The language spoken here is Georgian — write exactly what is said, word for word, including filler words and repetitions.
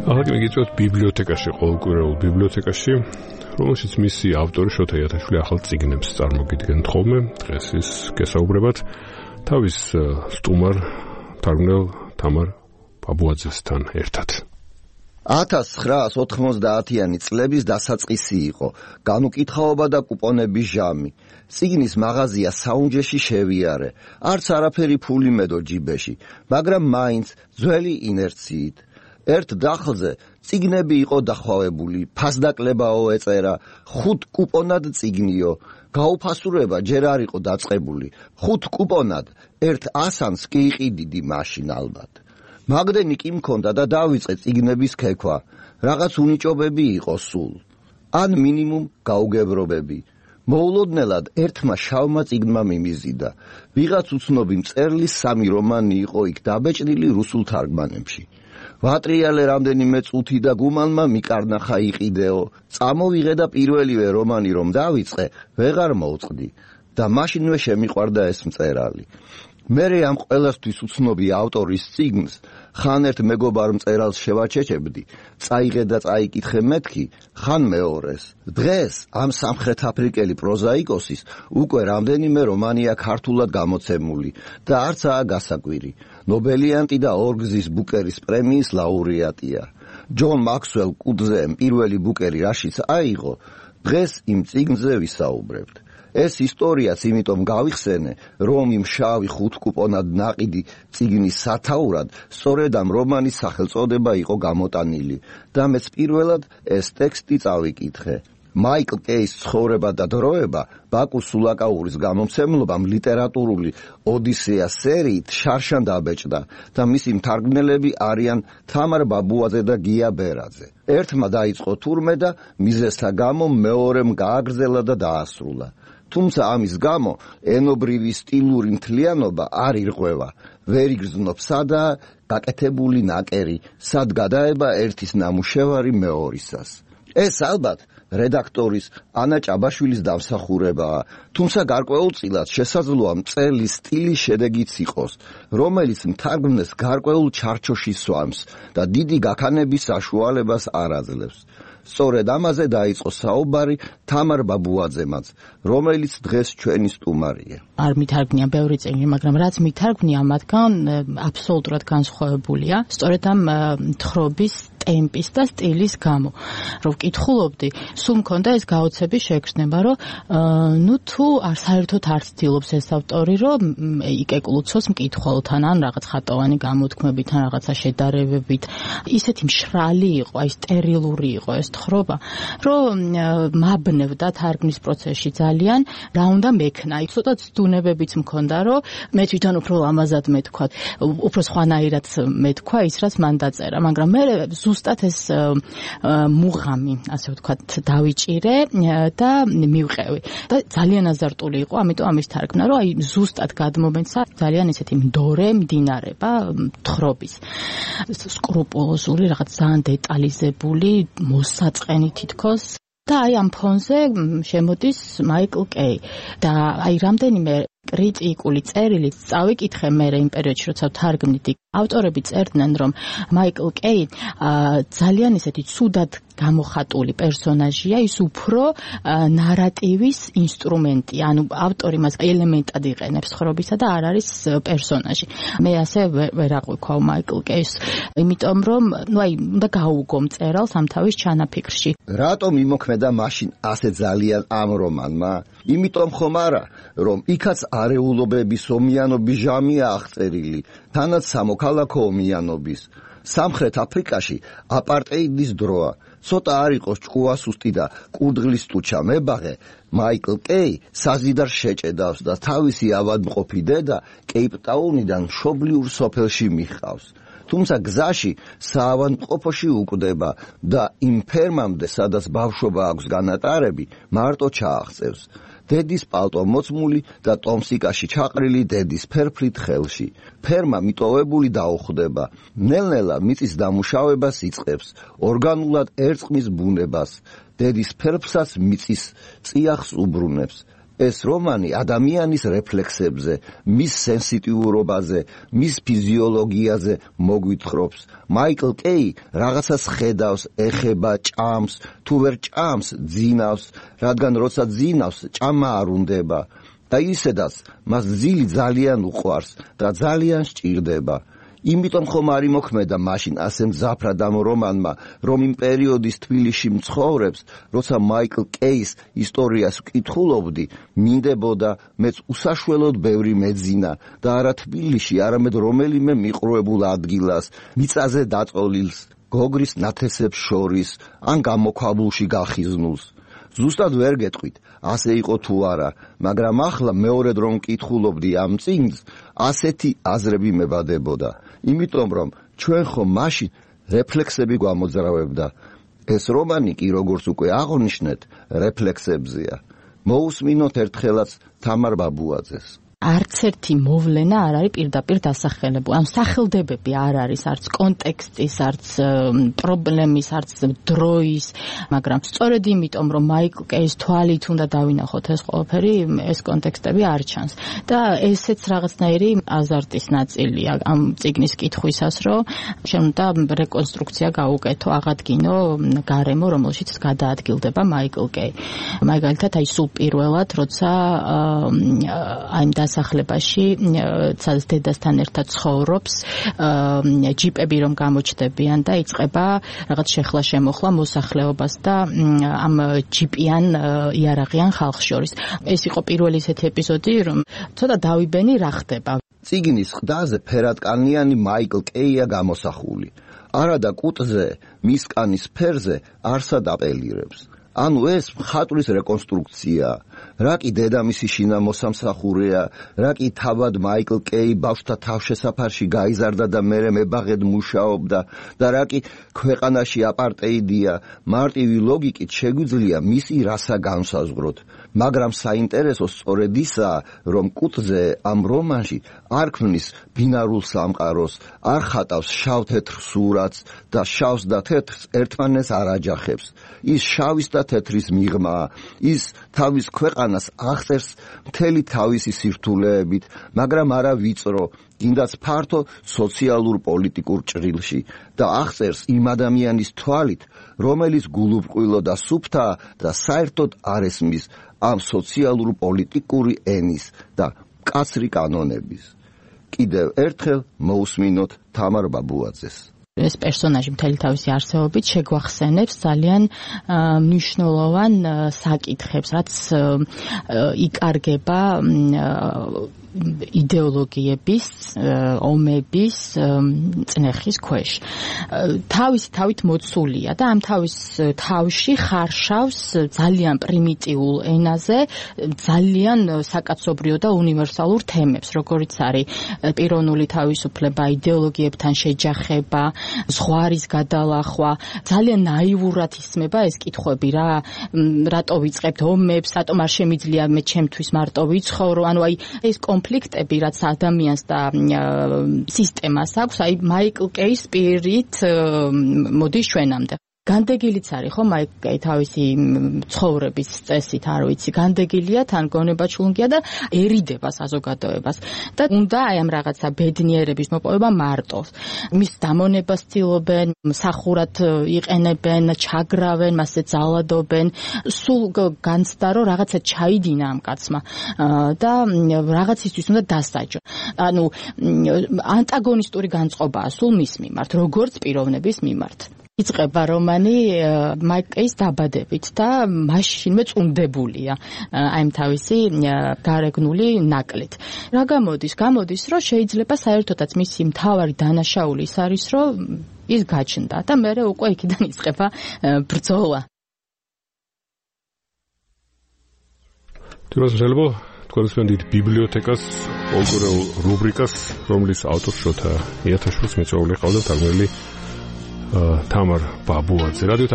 ახლა მიგიწევთ ბიბლიოთეკაში, ყოველკვირეულ ბიბლიოთეკაში, რომელშიც მისი ავტორი შოთა იათაშვილი ახალ წიგნებს წარმოგიდგენთ ხოლმე. დღეს ის გესაუბრებათ თავის სტუმარ თარგმნელ თამარ ბაბუაძესთან ერთად. ათას ცხრაას ოთხმოცდაათიანი წლების დასაწყისი იყო, განუკითხაობა და კუპონების ჟამი. წიგნის მაღაზია საუნჯეში შევიარე, არც არაფერი ფული მედო ჯიბეში, მაგრამ მაინც ძველი ინერციით. ერთ დახლზე წიგნები იყო დახვავებული, ფასდაკლებაო ეწერა, ხუთ კუპონად წიგნიო, გაუფასურება ჯერ არ იყო დაწყებული, ხუთ კუპონად, ერთ ასანს კი იყიდიდი მაშინ ალბათ. მაგდენი კი მქონდა და დავიწყე წიგნების ქექვა, რაღაც უნიჭობები იყო სულ, ან მინიმუმ გაუგებრობები. მოულოდნელად ერთმა შავმა წიგნმა მიმიზიდა, ვიღაც უცნობი მწერლის სამი რომანი იყო იქ დაბეჭდილი რუსულ თარგმანებში. ვატრიალე რამდენიმე წუთი და გუმანმა მიკარნახა იყიდეო, წამოვიღე და პირველივე რომანი რომ დავიწყე, ვეღარ მოვწყდი და მაშინვე შემიყვარდა ეს მწერალი. მერე ამ ყველასთვის უცნობი ავტორის წიგნს ხან ერთ მეგობარ მწერალს შევაჩეჩებდი, წაიღე და წაიკითხე მეთქი, ხან მეორეს. დღეს ამ სამხრეთ აფრიკელი პროზაიკოსის უკვე რამდენიმე რომანია ქართულად გამოცემული და არცაა გასაკვირი. ნობელიანტი და ორგზის ბუკერის პრემიის ლაურეატია. ჯონ მაქსველ კუდზემ პირველი ბუკერი რაშიც აიღო, დღეს იმ წიგნზე ვისაუბრებთ. ეს ისტორიაც იმიტომ გავიხსენე, რომ იმ შავი ხუთ კუპონად ნაყიდი წიგნის სათაურად სწორედ ამ რომანის სახელწოდება იყო გამოტანილი და მეც პირველად ეს ტექსტი წავიკითხე. მაიკლ კეის ცხოვრება და დროება ბაკუ სულაკაურის გამომცემლობამ ლიტერატურული ოდისეა სერიით შარშან დაბეჭდა და მისი მთარგმნელები არიან თამარ ბაბუაძე და გია ბერაძე. ერთმა დაიწყო თურმე და მიზეზთა გამო მეორემ გააგრძელა და დაასრულა. თუმცა ამის გამო ენობრივი სტილური მთლიანობა არ ირღვევა, ვერ იგრძნობს სადაა გაკეთებული ნაკერი, სად გადაება ერთის ნამუშევარი მეორისას. ეს ალბათ რედაქტორის ანა ჭაბაშვილის დამსახურებაა, თუმცა გარკვეულწილად შესაძლოა მწერლის სტილის შედეგიც იყოს, რომელიც მთარგმნელს გარკვეულ ჩარჩოში სვამს და დიდი გაქანების საშუალებას არ აძლევს. სწორედ ამაზე დაიწყო საუბარი თამარ ბაბუაძემაც, რომელიც დღეს ჩვენი სტუმარია. არ მითარგმნია ბევრი წიგნი, მაგრამ რაც მითარგმნია მათგან აბსოლუტურად განსხვავებულია, სწორედ ამ თხრობის ტემპის და სტილის გამო. რომ ვკითხულობდი, სულ მქონდა ეს გაოცების შეგრძნება, რომ ნუ თუ არ საერთოდ არ ცდილობს ეს ავტორი, რომ იკეკლუცოს მკითხველთან ან რაღაც ხატოვანი გამოთქმებით, ან რაღაცა შედარებებით. ისეთი მშრალი იყო, აი სტერილური იყო ეს თხრობა, რომ მაბნევდა თარგმნის პროცესში ძალიან, რა უნდა მექნა. ცოტა ცდუნებებიც მქონდა, რომ მე თვითონ უფრო ლამაზად მეთქვა, უფრო სხვანაირად მეთქვა ის, რაც მან დაწერა, მაგრამ მე ზუსტად ეს მუღამი, ასე ვთქვათ, დავიჭირე და მივყევი. და ძალიან აზარტული იყო, ამიტომ ამის თარგმნა, რომ აი ზუსტად გადმომეცა ძალიან ესეთი მდორე მდინარება თხრობის. სკრუპულოზული, რაღაც ძალიან დეტალიზებული, მოსაწყენი თითქოს. და აი ამ ფონზე შემოდის მაიკლ კეი და აი რამდენიმე კრიტიკული წერილი წავიკითხე მე იმ პერიოდში, როცა ვთარგმნიდი. ავტორები წერდნენ, რომ მაიკლ კეი ძალიან ისეთი ცუდად გამოხატული პერსონაჟია, ის უფრო ნარატივის ინსტრუმენტი, ანუ ავტორი მას ელემენტად იყენებს თხრობისა და არ არის პერსონაჟი. მე ასე ვერ აღვიქვავ მაიკლ კეის, იმიტომ რომ ნუ აი უნდა გაუგო მწერალს ამ თავის ჩანაფიქრში. რატომ იმოქმედა მაშინ ასე ძალიან ამ რომანმა? იმიტომ ხომ არა, რომ იქაც არეულობების ომიანობის ჟამია აღწერილი, თანაც სამოქალაქო ომიანობის. სამხრეთ აფრიკაში აპარტეიდის დროა. ცოტა არ იყოს ჭკუასუსტი და კურდღლის ტუჩა მებაღე, მაიკლ კეი საზიდარ შეჭედავს და თავისი ავადმყოფი დედა კეიპტაუნიდან მშობლიურ სოფელში მიჰყავს. თუმცა გზაში საავადმყოფოში უკვდება და იმ ფერმამდე, სადაც ბავშვობა აქვს განატარები, მარტო ჩააღწევს. დედის პალტო მოწმული და ტომსიკაში ჩაყრილი დედის ფერფლით ხელში. ფერმა მიტოვებული დაუხვდება. ნელ-ნელა მიწის დამუშავებას იწყებს, ორგანულად ერწყმის ბუნებას. დედის ფერფლსაც მიწის წიაღს უბრუნებს. ეს რომანი ადამიანის რეფლექსებზე, მის სენსიტიურობაზე, მის ფიზიოლოგიაზე მოგვითხრობს. მაიკლ კეი რაღაცას ხედავს, ეხება, ჭამს, თუ ვერ ჭამს, ძინავს, რადგან როცა ძინავს, ჭამა არ უნდება. და ისედაც მას ძილი ძალიან უყვარს და ძალიან სჭირდება. იმიტომ ხომ არ იმოქმედა მაშინ ასე მძაფრად ამ რომანმა, რომ იმ პერიოდის თბილისში მცხოვრებს, როცა მაიკლ კეის ისტორიას ვკითხულობდი, მინდებოდა მეც უსაშველოდ ბევრი მეძინა და არა თბილისში, არამედ რომელიმე მიყრუებულ ადგილას, მიწაზე დაწოლილს, გოგრის ნათესებს შორის, ან გამოქვაბულში გახიზნულს. ზუსტად ვერ გეტყვით, ასე იყო თუ არა, მაგრამ ახლა მეორედ რომ მკითხულობდი ამ წიგნს, ასეთი აზრები მებადებოდა. იმიტომ რომ ჩვენ ხომ მაშინ რეფლექსები გვამოძრავებდა. ეს რომანი კი როგორც უკვე აღნიშნეთ, რეფლექსებზეა. მოусმინოთ ერთხელაც თამარ ბაბუაძეს. არც ერთი მოვლენა არ არის პირდაპირ დასახელებული. ამ სახელდებები არ არის არც კონტექსტის, არც პრობლემის, არც დროის, მაგრამ სწორედ იმიტომ, რომ მაიკლ კეის თვალით უნდა დავინახოთ ეს ყველაფერი, ეს კონტექსტები არ ჩანს. და ესეც რაღაცნაირი აზარტის ნაწილია ამ წიგნის კითხვისას, რომ შენ უნდა რეკონსტრუქცია გაუკეთო, აღადგინო გარემო, რომელშიც გადაადგილდება მაიკლ კეი. მაგალითად, აი სულ პირველად, როცა აი დასახლებაში ცალ დედასთან ერთად ცხოვრობს, ჯიპები რომ გამოჩდებიან და იწყება რაღაც შეხლა შემოხლა მოსახლეობას და ამ ჯიპიან იარაღიან ხალხს შორის. ეს იყო პირველი ესეთი ეპიზოდი, რომ ცოტა დავიბენი რა ხდება. წიგნის ყდაზე ფერადკანიანი მაიკლ კეია გამოსახული. არადა კუტზე, მის კანის ფერზე არსად აპელირებს. ანუ ეს მხატვრის რეკონსტრუქცია. რა კი დედამისი შინა მოსამსახურეა, რა კი თავად მაიკლ კეი ბავშვთა თავშესაფარში გაიზარდა და მერე მებაღედ მუშაობდა და რა კი ქვეყანაში აპარტეიდია, მარტივი ლოგიკით შეგვიძლია მისი რასა განსაზღვროთ. მაგრამ საინტერესო სწორედ ისაა, რომ კუტზე ამ რომანში არ ქმნის ბინარულ სამყაროს, არ ხატავს შავ-თეთრ სურათს და შავს და თეთრს ერთმანეს არ აჯახებს. ის შავის და თეთრის მიღმაა, ის თავის ქვეყანას აღწერს მთელი თავისი სირთულეებით, მაგრამ არა ვიწრო, კიდაც ფართო სოციალურ პოლიტიკურ ჭრილში და აღწერს იმ ადამიანის თვალით, რომელიც გულუბრყვილო და სუფთაა და საერთოდ არ ესმის ამ სოციალურ პოლიტიკური ენის და მკაცრი კანონების. კიდევ ერთხელ მოусმინოთ თამარ ბაბუაძეს. ეს პერსონაჟი მთელი თავისი არსებობით შეგვახსენებს ძალიან მნიშვნელოვან საკითხებს, რაც იკარგება იდეოლოგიების, ომების წნეხის ქვეშ. თავისი თავით მოცულია და ამ თავის თავში ხარშავს ძალიან პრიმიტიულ ენაზე ძალიან საკაცობრიო და უნივერსალურ თემებს, როგორიც არის პიროვნული თავისუფლება, იდეოლოგიებთან შეჯახება, ზღვარის გადალახვა. ძალიან ნაივურად ისმება ეს კითხვები რა, რატო ვიწყებთ ომებს, რატომ არ შემიძლია მე ჩემთვის მარტო ვიცხოვრო, ანუ აი ეს კონფლიქტები, რაც ადამიანს და სისტემას აქვს, აი მაიკლ კეის პირით მოდის ჩვენამდე. განდეგილიც არის ხო მაიკლ კეი თავისი ცხოვრების წესით, არ ვიცი, განდეგილია, თან გონება ჩლუნგია და ერიდება საზოგადოებას და უნდა აი ამ რაღაცა ბედნიერების მოპოვება მარტოს. მის დამონებას ცდილობენ, მსახურად იყენებენ, ჩაგრავენ, მასზე ძალადობენ, სულ განცდა რომ რაღაცა ჩაიდინა ამ კაცმა და რაღაცისთვის უნდა დასაჯო. ანუ ანტაგონისტური განწყობაა სულ მის მიმართ, როგორც პიროვნების მიმართ. იწყება რომანი მაიკლ კეის დაბადებით და მაშინვე წუნდებულია აი ამ თავისი გარეგნული ნაკლით. რა გამოდის? გამოდის, რომ შეიძლება საერთოდაც მისი მთავარი დანაშაული ის არის, რომ ის გაჩნდა და მერე უკვე იქიდან იწყება ბრძოლა. თუმცა შეიძლება თქვენს ბიბლიოთეკას, პოლიტიკურ რუბრიკას, რომლის ავტორს შოთა იათაშვილს მეწვეული ყავდა თარგმნელი თამარ ბაბუაძე. რადიო